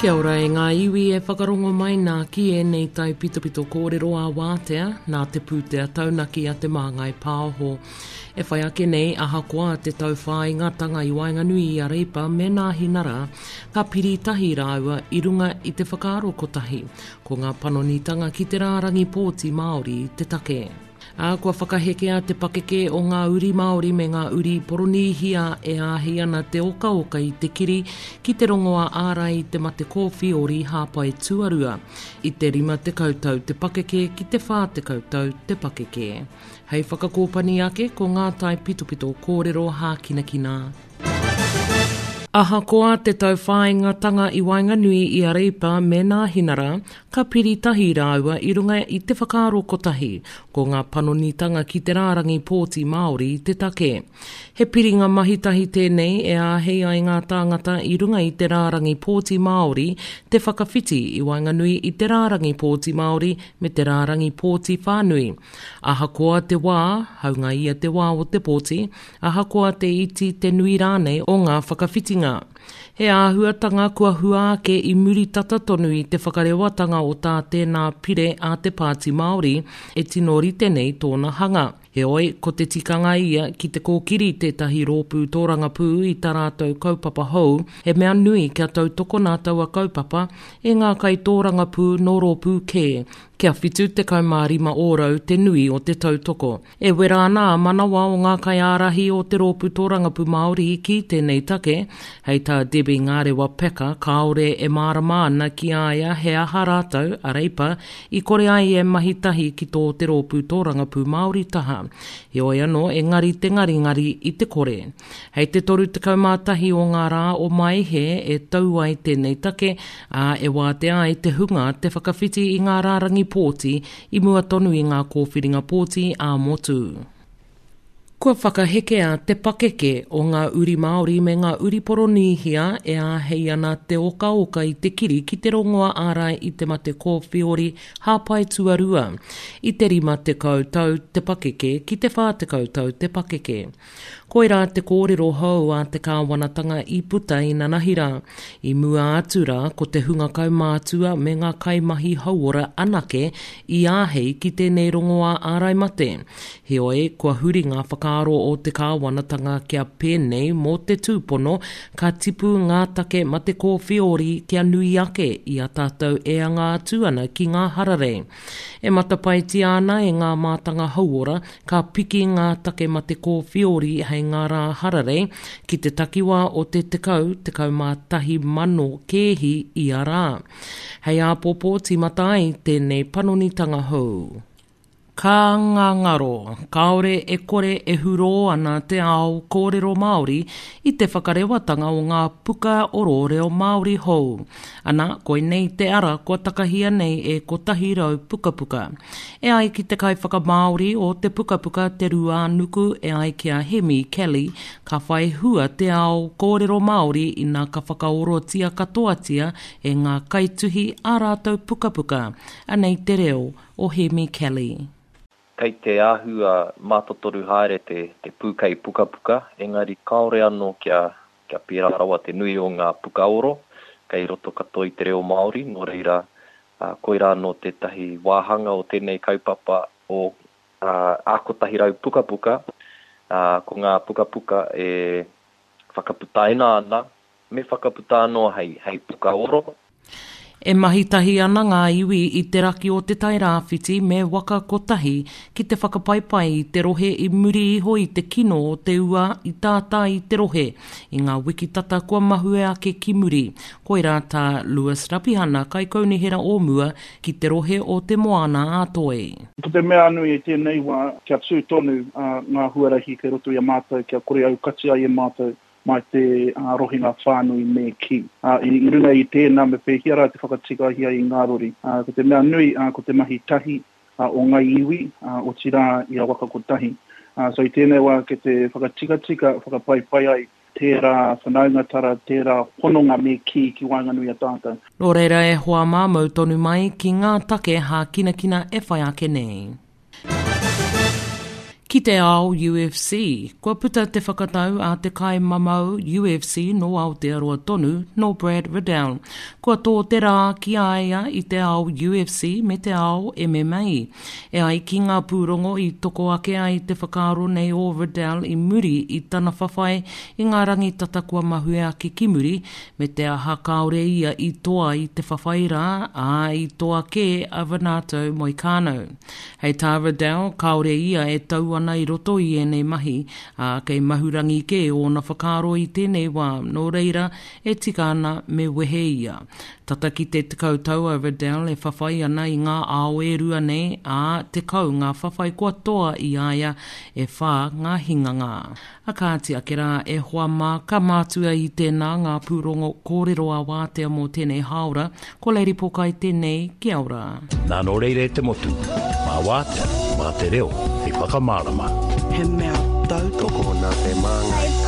Kia ora e ngā iwi e whakarongo mai nā ki ēnei taipitopito kōrero ā-wātea nā te pūtea taunaki a Te Māngai Pāho. E whai ake nei, ahakoa te tauwhāingatanga i waenganui i a Reipa me Nāhinara, ka piri tahi rāua i runga i te whakaaro kotahi, ko ngā panonitanga ki te rārangi pōti Māori te take. Ā, kua whakahekea te pakeke o ngā uri Māori me ngā uri Poronīhia e āhei ana te okaoka i te kiri ki te rongoā ārai i te mate kōwhiori hāpai tuarua, i te 50 tau te pakeke ki te 40 tau te pakeke. Hei whakakōpani ake ko ngā taipitopito kōrero hākinakina. Ahakoa te tauwhāingatanga i waenganui i a Reipa me Nāhinara, ka piri tahi rāua i runga i te whakaaro kotahi, ko ngā panonitanga ki te rārangi pōti Māori te take. He piringa mahitahi tēnei e āhei ai ngā tāngata i runga i te rārangi pōti Māori te whakawhiti i waenganui i te rārangi pōti Māori me te rārangi pōti whānui. Ahakoa te wā, haunga ia te wā o te pōti, ahakoa te iti, te nui rānei o ngā whakawhitinga. He āhuatanga kua hua ake i muri tata tonu i te whakarewatanga o tā tēnā pire a te Pāti Māori e tino rite nei tōna hanga. Heoi, ko te tikanga ia ki te kōkiri tētahi rōpū tōrangapū i tā rātou kaupapa hou, he mea nui kia tautokona taua kaupapa e ngā kaitōrangapū nō rōpū kē, kia 75 ōrau te nui o te tautoko. E wera ana a manawa o ngā kaiārahi o te Rōpū Tōrangapū Māori ki tēnei take, hei tā Debbie Ngarewa Peka kāore e mārama ana ki a ia he aha rātou, a Reipa, i kore ai e mahi tahi ki tō te Rōpū Tōrangapū Māori taha. Heoi anō, engari te ngaringari i te kore. Hei te 31 o ngā rā o Maehe e tau ai tēnei take, ā, e wātea ai te hunga te whakawhiti i ngā rārangi pōti i mua tonu i ngā kōwhiringa pōti ā-motu. Kua whakahekea te pakeke o ngā uri Māori me ngā uri Poronīhia e āhei ana te okaoka i te kiri ki te rongoā ārai i te mate kōwhiori hāpai tuarua, i te 50 tau te pakeke ki te 40 tau te pakeke. Koirā te kōrero hou a te kāwanatanga i puta inanahi rā. I mua atu rā, ko te hunga kaumātua me ngā kaimahi hauora anake i āhei ki tēnei rongoā ārai mate. Heoi, kua huri ngā whakaaro o te kāwanatanga kia pēnei mō te tūpono ka tipu ngā take mate kōwhiori kia nui ake i a tātou e anga atu ana ki ngā hararei. E matapaetia ana e ngā mātanga hauora Ka piki ngā take mate kōwhiori hei ngā rā hararei ki te takiwā o te 10, 11 mano kēhi ia rā. Hei āpōpō tīmata ai tēnei panonitanga hou. Ka ngangaro, kāore e kore e hurō ana te ao kōrero Māori i te whakarewatanga o ngā puka oro reo Māori hou. Ana, koinei te ara kua takahia nei e 100 pukapuka. E ai ki te kaiwhakamāori o te pukapuka Te Ruānuku e ai ki a Hemi Kelly, ka whai hua te ao kōrero Māori ina ka whakaorotia katoatia e ngā kaituhi ā rātou pukapuka. Anei te reo o Hemi Kelly. Kei te āhua mātotoru haere te pūkei pukapuka, engari kāore anō kia kia pērā rawa te nui o ngā pukaoro kei roto katoa i te reo Māori, nō reira, koirā anō tētahi wāhanga o tēnei kaupapa o Ā 100 Pukapuka, ko ngā pukapuka e whakaputaina ana, me whakaputa anō hei pukaoro. E mahi tahi ana ngā iwi i te raki o Te Tai Rāwhiti me Waka Kotahi ki te whakapaipai i te rohe i muri iho i te kino o te ua i tātā i te rohe i ngā wiki tata kua mahue ake ki muri. Koirā tā Lewis Rapihana, Kaikaunihera o mua ki te rohe o Te Moana-a-Toi. Ko te mea nui i tēnei wā, kia tū tonu ngā huarahi kei roto i a mātou, kia kore aukati ai e mātou mai te rohenga whānui me kī. I runga i tēnā me pēhea rā te whakatikahia i ngā rori. Ko te mea nui ko te mahi tahi o ngai iwi, otirā i a Waka Kotahi. So i tēnei wā kei te whakatikatika, whakapaipai ai tērā whanaungatara, tērā hononga me kī ki waenganui a tātou. Nō reira e hoa mā mau tonu mai ki ngā take hākinakina e whai ake nei. Ki te ao UFC, kua puta te whakatau a te kaimamau UFC nō Aotearoa tonu, nō Brad Riddell. Kua tō te rā ki a ia i te ao UFC me te ao MMA. E ai ki ngā pūrongo i toko ake ai te whakaaro nei o Riddell i muri i tana whawhai i ngā rangi tata kua mahue ake ki muri, me te aha kāore ia i toa i te whawhai rā, ā, i toa kē a Renato Moicano. Hei tā Riddell, kāore ia e tau ana i roto i ēnei mahi, ā, kei Mahurangi kē ōna whakaaro i tēnei wā, nō reira, e tika ana me wehe ia. Tata ki te 10 tau a Riddell e whawhai ana i ngā ao e rua nei, ā, 10 ngā whawhai kua toa i a ia, e whā ngā hinganga. A kāti ake rā, e hoa mā, ka mātua i tēnā ngā pūrongo kōrero ā-wātea mō tēnei hāora, ko Lady Pokai tēnei, kia ora. Nā nō reira e te motu, mā wātea, mā te reo hei whakamārama. He mea tautoko. Tokona te māngai.